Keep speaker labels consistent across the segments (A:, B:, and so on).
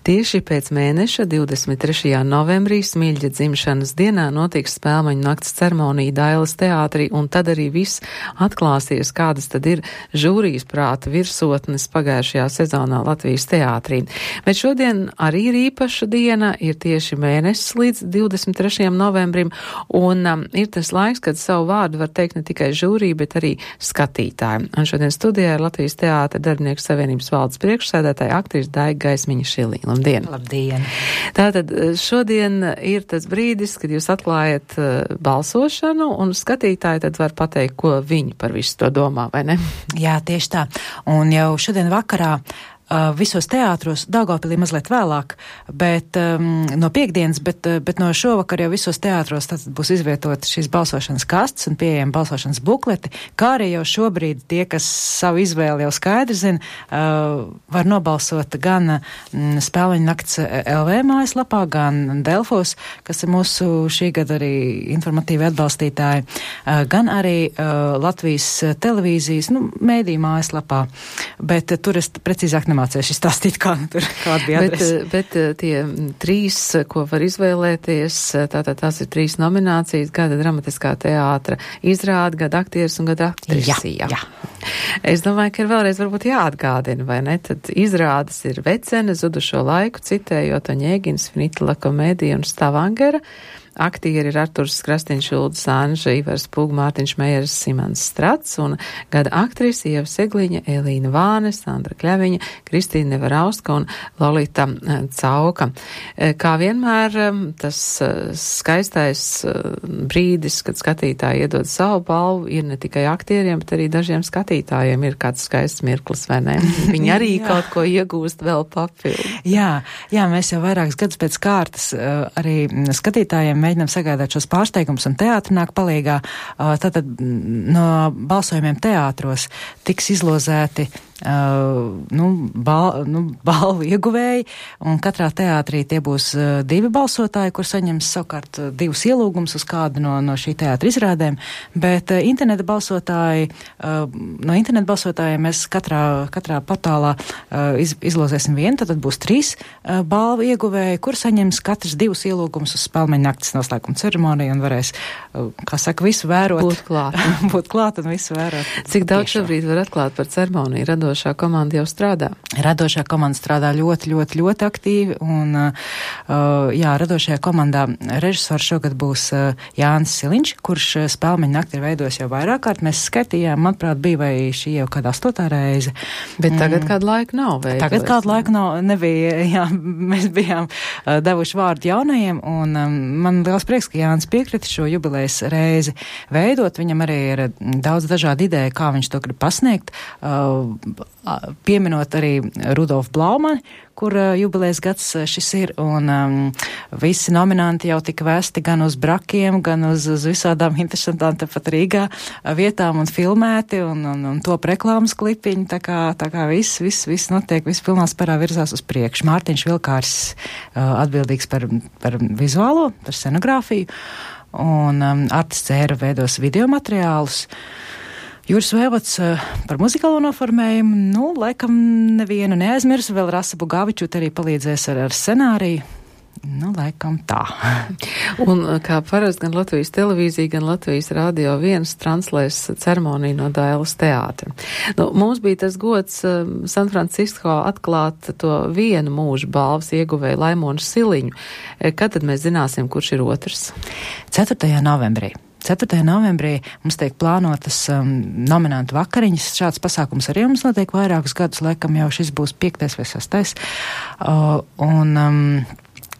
A: Tieši pēc mēneša 23. novembrī Smilģa dzimšanas dienā notiks Spēlmeņu nakts ceremonija Dailes teātrī, un tad arī viss atklāsies, kādas tad ir žūrijas prāta virsotnes pagājušajā sezonā Latvijas teātrī. Bet šodien arī ir īpaša diena, ir tieši mēnesis līdz 23. novembrim, un ir tas laiks, kad savu vārdu var teikt ne tikai žūrija, bet arī skatītāji. Un šodien studijā ir Latvijas teātra darbinieku savienības valdes priekšsēdētāja aktrise Daiga Gaismiņa-Šilī. Labdien!
B: Labdien!
A: Tātad šodien ir tas brīdis, kad jūs atklājat balsošanu, un skatītāji tad var pateikt, ko viņi par visu to domā, vai ne?
B: Jā, tieši tā. Un jau šodien vakarā visos teātros, Daugavpilī mazliet vēlāk, bet no piekdienas, bet no šovakar jau visos teātros tad būs izvietot šīs balsošanas kastes un pieejami balsošanas bukleti, kā arī jau šobrīd tie, kas savu izvēli jau skaidri zina, var nobalsot gan Spēlmeņu nakts LV mājaslapā, gan Delfos, kas ir mūsu šī gada arī informatīvi atbalstītāji, gan arī Latvijas televīzijas, mēdīju mājaslapā, bet tur es precīzāk mācēšu izstāstīt, kāda bija adrese.
A: Bet tie trīs, ko var izvēlēties, tātad tās ir trīs nominācijas, gada dramatiskā teātra izrāde, gada aktieris un gada aktrise.
B: Jā.
A: Es domāju, ka ir vēlreiz varbūt jāatgādina, vai ne? Tad izrādes ir Vecene, Zudušo laiku, citējot Oņēgins, Finitla komēdija un Stavangera. Aktieri ir Arturs Krastiņš, Ulda Sanža, Ivars Pūg, Mārtiņš Mejers, Simans Strats un gada aktrise Ieva Segliņa, Elīna Vāne, Sandra Kļaviņa, Kristīna Nevarauska un Lolita Cauka. Kā vienmēr tas skaistais brīdis, kad skatītāji iedod savu balvu, ir ne tikai aktieriem, bet arī dažiem skatītājiem ir kāds skaists mirklis, vai ne? Viņi arī kaut ko iegūst vēl papildu.
B: Jā, mēs jau vairākus gadus pēc kārtas arī skatītājiem mēģinām sagādāt šos pārsteigumus, un teātri nāk palīgā. Tātad no balsojumiem teātros tiks izlozēti balvu ieguvēji, un katrā teātrī tie būs divi balsotāji, kur saņems savukārt divus ielūgumus uz kādu no šī teātra izrādēm, bet interneta balsotāji, no interneta balsotājiem mēs katrā portālā izlozēsim vienu, tad būs trīs balvu ieguvēji, kur saņems katrs divus ielūgumus uz Spēlmeņu nakts noslēguma ceremoniju un varēs, kā saka, visu vērot. Būt klāt un visu vērot.
A: Cik daudz šobrīd var atklāt par ceremoniju? Radošā komanda jau strādā?
B: Radošā komanda strādā ļoti aktīvi, un radošajā komandā režisors šogad būs Jānis Siliņš, kurš Spēlmeņu nakti ir veidojis jau vairāk kārt. Mēs skatījām, manuprāt, bija vai šī jau kādā 8. reize.
A: Bet tagad kādu laiku nav veidojis.
B: Tagad kādu laiku nebija, mēs bijām devuši vārdu jaunajiem, un man liels prieks, ka Jānis piekrita šo jubilejas reizi veidot. Viņam arī ir daudz dažādu ideju, kā viņš to grib pasniegt. Pieminot arī Rudolfu Blaumani, kur jubilejas gads šis ir, un visi nominanti jau tika vēsti gan uz brakiem, gan uz visādām interesantām tepat Rīgā vietām un filmēti, un top reklāmas klipiņi, tā kā viss notiek, viss pilnā spērā virzās uz priekšu. Mārtiņš Vilkārs atbildīgs par vizuālo, par scenogrāfiju, un Artis Cēra veidos video materiālus. Juris Vēvots par muzikālo noformējumu, laikam nevienu neaizmirsu, vēl Rasa Bugavičut arī palīdzēs ar scenāriju. Laikam tā.
A: Un kā parasti gan Latvijas televīzija, gan Latvijas radio 1 translēs ceremoniju no Dailes teātra. Mums bija tas gods San Francisco atklāt to vienu mūža balvas ieguvēju Laimonu Siliņu. Kad tad mēs zināsim, kurš ir otrs?
B: 4. novembrī. 4. novembrī mums tiek plānotas nominantu vakariņas. Šāds pasākums arī mums notiek vairākus gadus, laikam jau šis būs 5. vai 6.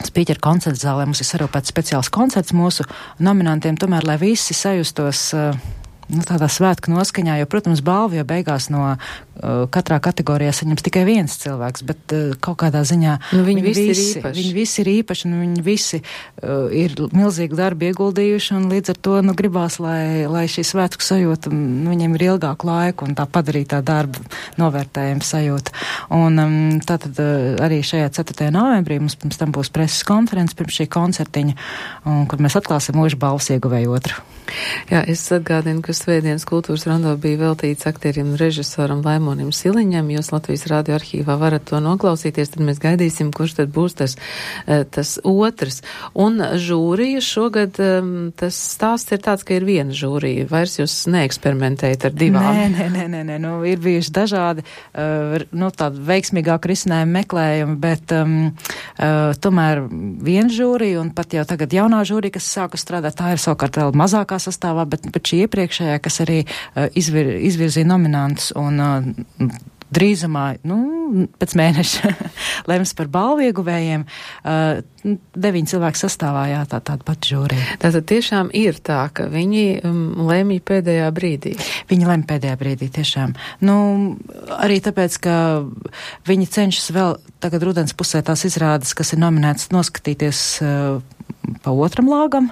B: Spīķera koncerta zālē mums ir sarūpēts speciāls koncerts mūsu nominantiem, tomēr, lai visi sajustos tādā svētku noskaņā, jo, protams, balvu jau beigās no katrā kategorijā saņems tikai viens cilvēks, bet kaut kādā ziņā
A: viņi visi
B: ir īpaši, un viņi visi ir milzīgi darbi ieguldījuši, un līdz ar to, gribās, lai šī svētku sajūta, viņiem ir ilgāku laiku, un tā padarītā darba novērtējuma sajūta. Un tātad arī šajā 4. novembrī mums pirms tam būs preses konferences pirms šī koncertiņa, kur mēs atklāsim mūža balvas ieguvēju otru.
A: Jā, es atgādinu, ka svētdienas kultūras rondo bija veltīts aktierim un režisoram Laimonu Raimonim Siliņam, jūs Latvijas radio arhīvā varat to noklausīties, tad mēs gaidīsim, kurš tad būs tas otrs. Un žūrija šogad, tas stāsts ir tāds, ka ir viena žūrija, vairs jūs neeksperimentējat ar divām.
B: Nē, ir bijuši dažādi, tādi veiksmīgāk risinājumi meklējumi, bet tomēr viena žūrija, un pat jau tagad jaunā žūrija, kas sāka strādāt, tā ir savukārt vēl mazākā sastāvā, bet šī iepriekšējā, kas arī izvirzīja nominantus un drīzumā, pēc mēneša lems par balvu ieguvējiem, 9 cilvēku sastāvā, jā, tāda pati žūrija.
A: Tātad tiešām ir tā, ka viņi lemj pēdējā brīdī.
B: Viņi lemj pēdējā brīdī, tiešām. Arī tāpēc, ka viņi cenšas vēl tagad rudens pusē tās izrādes, kas ir nominētas, noskatīties pa otram lāgam,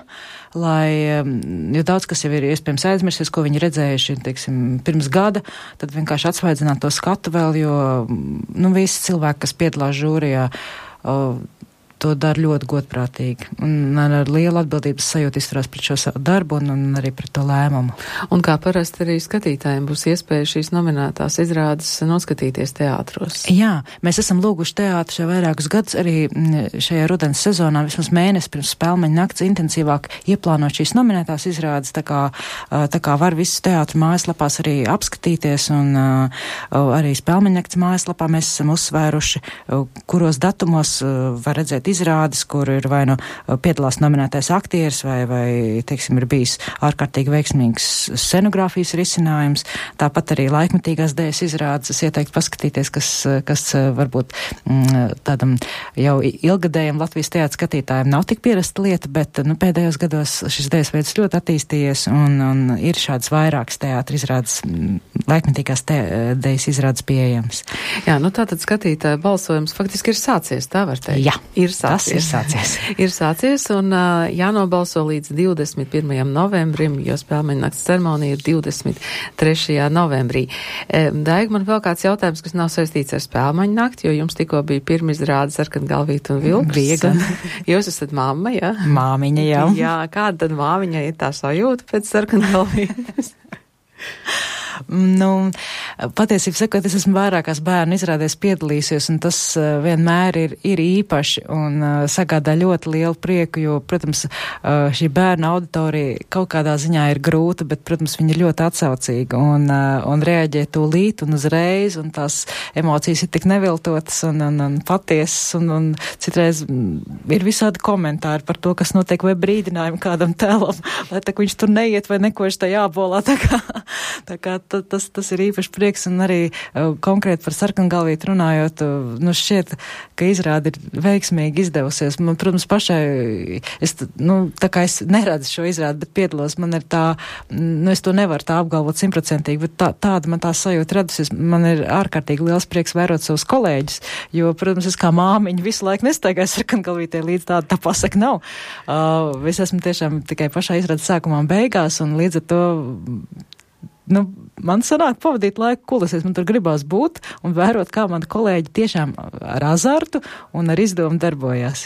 B: jo daudz, kas jau ir iespējams aizmirsies, ko viņi redzējuši, teiksim, pirms gada, tad vienkārši atsvaidzināt to skatu vēl, jo, visi cilvēki, kas piedalās žūrijā, to dara ļoti godprātīgi un ar lielu atbildības sajūtu izturās pret šo savu darbu un arī pret to lēmumu.
A: Un kā parasti arī skatītājiem būs iespēja šīs nominētās izrādes noskatīties teātros?
B: Jā, mēs esam lūguši teātru jau vairākus gadus arī šajā rudens sezonā, vismaz mēnesi pirms Spēlmeņa nakts intensīvāk ieplānot šīs nominētās izrādes, tā kā var visus teātru mājaslapās arī apskatīties un arī Spēlmeņa nakts mājaslapā mēs esam uzsvēruši, kuros datumos var redzēt izrādes, kur ir vai piedalās nominētais aktieris vai teiksim, ir bijis ārkārtīgi veiksmīgs scenogrāfijas risinājums. Tāpat arī laikmetīgās dēļas izrādes. Es ieteiktu paskatīties, kas varbūt tādam jau ilgadējam Latvijas teātra skatītājiem nav tik pierasta lieta, bet pēdējos gados šis dēļas veids ļoti attīstījies un ir šāds vairākas teātra izrādes, laikmetīgās dēļas izrādes pieejams.
A: Jā, tātad skatītāja balsojums faktiski ir sācies, tā var teikt.
B: Jā. Tas ir sācies.
A: Ir sācies un jānobalso līdz 21. novembrim, jo Spēlmeņa nakts ceremonija ir 23. novembrī. Daiga, man vēl kāds jautājums, kas nav saistīts ar Spēlmeņa nakti, jo jums tikko bija pirmizrāde Sarkangalvīte un Vilks.
B: Bija gan.
A: Jūs esat mamma, jā?
B: Māmiņa, jā.
A: Jā, kāda tad māmiņa ir tā sajūta pēc Sarkangalvītes?
B: Patiesībā sakot, es esmu vairākās bērnu izrādēs piedalījusies, un tas vienmēr ir īpaši un sagādā ļoti lielu prieku, jo, protams, šī bērnu auditorija kaut kādā ziņā ir grūta, bet, protams, viņa ir ļoti atsaucīga un reaģē tūlīt un uzreiz, un tās emocijas ir tik neviltotas un patiesas, un citreiz ir visādi komentāri par to, kas notiek, vai brīdinājumi kādam tēlam, lai tā viņš tur neiet vai neko viņš tā jābolā, tā kā tas ir īpaši prieks, un arī konkrēti par Sarkangalvīti runājot, šķiet, ka izrāde ir veiksmīgi izdevusies. Man, protams, pašai, tā kā es neredzu šo izrādi, bet piedalos, man ir tā, es to nevaru tā apgalvot 100%, bet tāda man tā sajūta radusies. Man ir ārkārtīgi liels prieks vērot savus kolēģus, jo, protams, es kā māmiņa visu laiku nestaigāju Sarkangalvītē līdz tā pasaka nav. Es esmu tiešām tikai pašā izrādes sākumā un beigās, un līdz ar to man sanāk pavadīt laiku kulisēs, man tur gribās būt un vērot, kā mani kolēģi tiešām ar azartu un ar izdomu darbojās.